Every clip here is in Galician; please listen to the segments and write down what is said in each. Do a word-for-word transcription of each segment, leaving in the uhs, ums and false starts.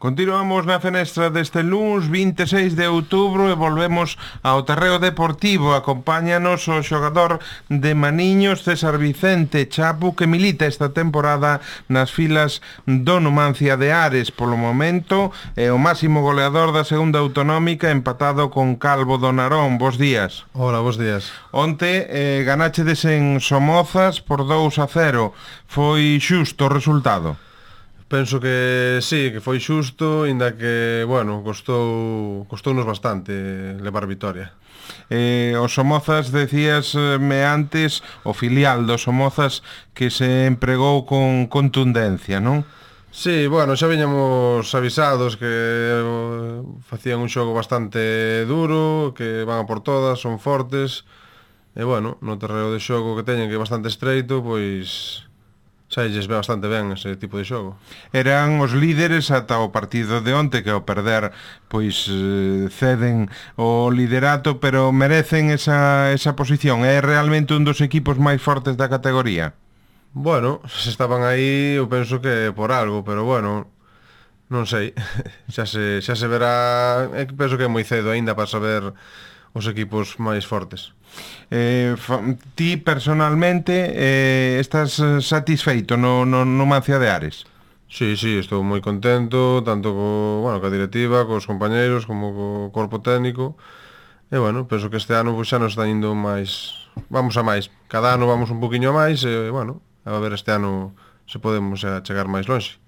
Continuamos na fenestra deste luns vinte e seis de outubro e volvemos ao terreo deportivo. Acompáñanos o xogador de Maniños, César Vicente Chapu, que milita esta temporada nas filas do Numancia de Ares. Polo momento é o máximo goleador da segunda autonómica, empatado con Calvo do Narón. Bos días. Hola, bos días. Onte eh, ganáchedes en Somozas por dous a cero. Foi xusto o resultado? Penso que sí, que foi xusto, inda que, bueno, costou costounos bastante levar vitoria. Eh, o Somozas, decíasme antes, o filial do Somozas, que se empregou con contundencia, non? Sí, bueno, xa viñamos avisados que eh, facían un xogo bastante duro, que van a por todas, son fortes, e, bueno, no terreo de xogo que teñen, que é bastante estreito, pois xa lles ve bastante ben ese tipo de xogo. Eran os líderes ata o partido de onte, que ao perder pois ceden o liderato, pero merecen esa, esa posición. É realmente un dos equipos máis fortes da categoría? Bueno, se estaban aí, eu penso que por algo, pero bueno, non sei, xa se, xa se verá. Eu penso que é moi cedo aínda para saber os equipos máis fortes. Eh, ti personalmente eh, estás satisfeito no, no Numancia de Ares? Sí, sí, estou moi contento, tanto co, bueno, ca directiva, cos compañeiros, como co corpo técnico. E, bueno, penso que este ano pues, xa nos está indo máis, vamos a máis. Cada ano vamos un poquinho a máis e, bueno, a ver este ano se podemos a chegar máis longe.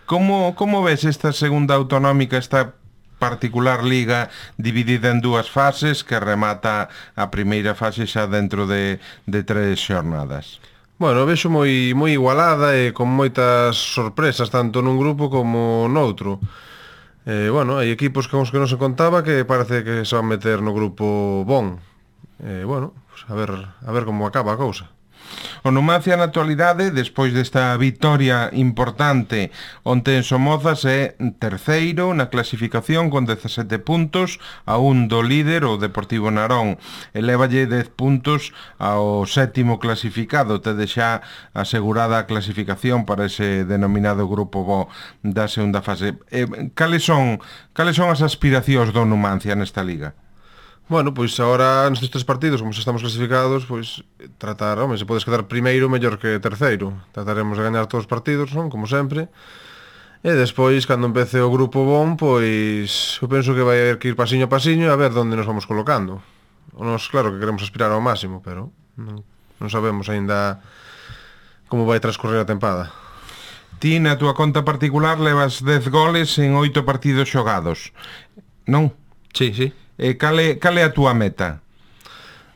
Como, como ves esta segunda autonómica, esta particular liga dividida en dúas fases, que remata a primeira fase xa dentro de, de tres xornadas? Bueno, vexo moi, moi igualada e con moitas sorpresas, tanto nun grupo como noutro. Eh, bueno, hai equipos con os que non se contaba que parece que se van meter no grupo bon. Eh, bueno, pues a ver, a ver como acaba a cousa. O Numancia na actualidade, despois desta vitoria importante onte en Somozas, é terceiro na clasificación con dezasete puntos, a un do líder, o Deportivo Narón. Elévalle dez puntos ao sétimo clasificado, tede xa asegurada a clasificación para ese denominado grupo bo da segunda fase. Eh, cales son, cales son as aspiracións do Numancia nesta liga? Bueno, pois agora nestes tres partidos, como se estamos clasificados, pois tratar, home, se podes quedar primeiro mellor que terceiro. Trataremos de gañar todos os partidos, non? Como sempre. E despois, cando empece o grupo bon, pois eu penso que vai haber que ir pasiño a pasiño e a ver onde nos vamos colocando. Nos, claro que queremos aspirar ao máximo, pero non, non sabemos aínda como vai transcorrer a tempada. Ti, na túa conta particular, levas dez goles en oito partidos xogados, non? Sí, sí. E cale, cale a túa meta?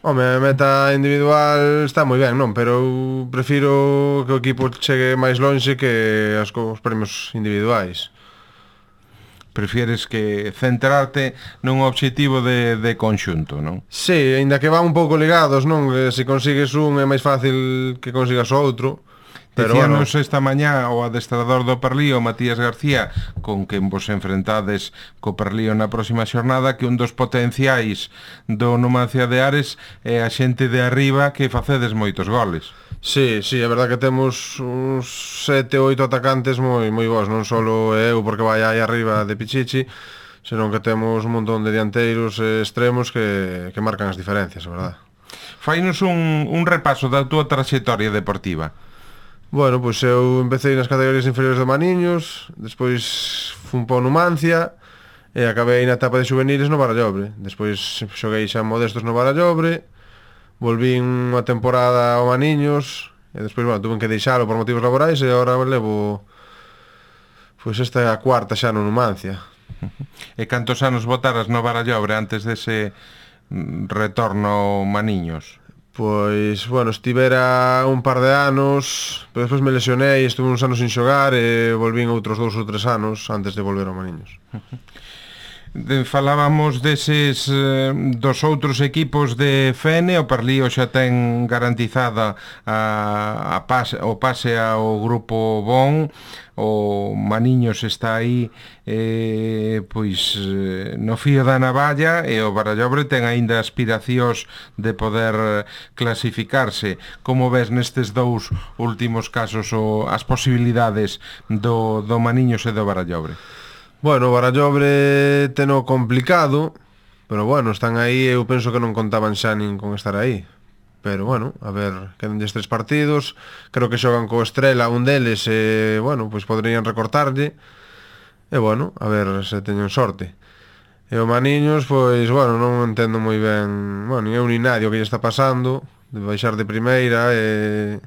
Home, a meta individual está moi ben, non? Pero eu prefiro que o equipo chegue máis lonxe que as, os premios individuais. Prefieres que centrarte nun obxectivo de, de conxunto, non? Sí, aínda que van un pouco ligados, non? Que se consigues un é máis fácil que consigas o outro. Decíanos bueno, esta mañá o adestrador do Perlío, Matías García, con quen vos enfrentades co Perlío na próxima xornada, que un dos potenciais do Numancia de Ares é a xente de arriba, que facedes moitos goles. Sí, sí, é verdad que temos uns sete, oito atacantes moi moi bons, non só eu porque vai aí arriba de Pichichi, senón que temos un montón de dianteiros e extremos que, que marcan as diferencias, é verdad. Fainos un, un repaso da túa traxectoria deportiva. Bueno, pois eu empecé nas categorías inferiores de Maniños, despois fun pa Numancia e acabei na etapa de juveniles no Barallobre. Despois xoguei xa modestos no Barallobre, volvín unha temporada ao Maniños e despois, bueno, tuve que deixalo por motivos laborais e agora levo pois esta é a cuarta xa no Numancia. E cantos anos botaras no Barallobre antes dese retorno ao Maniños? Pois, bueno, estivera un par de anos, pero despois me lesionei, estuve uns anos sin xogar e volvín outros dous ou tres anos antes de volver ao Maniños. Falábamos deses dos outros equipos de Fene. O Perlío xa ten garantizada a, a pase, o pase ao grupo bon. O Maniños está aí eh, pois no fío da navalla, e o Barallobre ten aínda aspiracións de poder clasificarse. Como ves nestes dous últimos casos o, as posibilidades do, do Maniños e do Barallobre? Bueno, o Barallobre teno complicado, pero bueno, están aí, eu penso que non contaban xa nin con estar aí. Pero bueno, a ver, quedan tres partidos, creo que xogan co Estrela un deles e, bueno, pois poderían recortarlle. E bueno, a ver se teñen sorte. E o Maniños, pois, bueno, non entendo moi ben, bueno, nin eu nin nadie o que lle está pasando, de baixar de primeira e,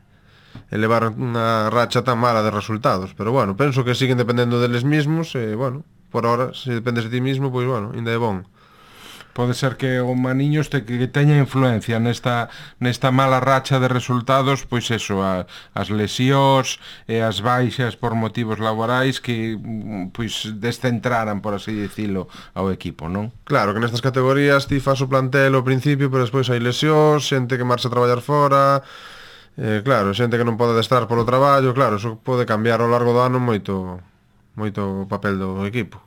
e levar unha racha tan mala de resultados. Pero bueno, penso que siguen dependendo deles mismos e, bueno, por ahora, se dependes de ti mismo, pois, bueno, ainda é bon. Pode ser que o Maniños te, que teña influencia nesta, nesta mala racha de resultados, pois eso, a, as lesións e as baixas por motivos laborais que pois descentraran, por así dicilo, ao equipo, non? Claro que nestas categorías ti fas o plantel ao principio, pero despois hai lesións, xente que marcha a traballar fora, eh, claro, xente que non pode adestrar polo traballo, claro, eso pode cambiar ao largo do ano moito moito o papel do equipo.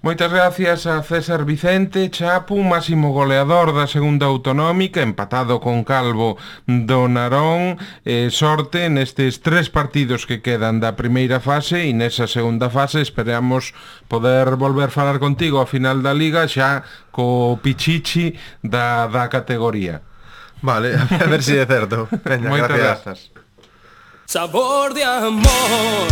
Moitas gracias a César Vicente Chapu, máximo goleador da segunda autonómica, empatado con Calvo do Narón. Eh, sorte nestes tres partidos que quedan da primeira fase e nesa segunda fase esperamos poder volver falar contigo ao final da liga xa co pichichi da, da categoría. Vale, a ver se si é certo. Veña, Moitas gracias. grazas. Sabor de amor.